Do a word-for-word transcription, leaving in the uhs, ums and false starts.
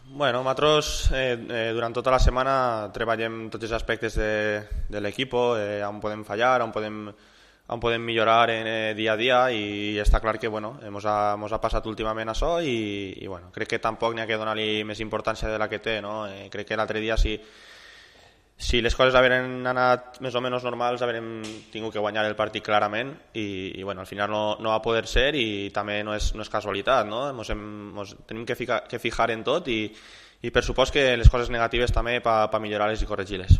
Bueno, nosaltres eh, eh, durant tota la setmana treballem tots els aspectes de, de l'equip, eh, on podem fallar, on podem, on podem millorar en, eh, dia a dia, i està clar que bueno, ens ha, mos ha passat últimament això, i, i bueno, crec que tampoc n'hi ha que donar-li més importància de la que té, no? Eh, crec que l'altre dia, si, si les coses haveren anat més o menys normals, haurem tingut que guanyar el partit clarament, i, i bueno, al final no, no va poder ser, i també no és, no és casualitat, no? Mos hem, mos tenim que, ficar, que fijar en tot, i, i per supost que les coses negatives també per pa millorar-les i corregir-les.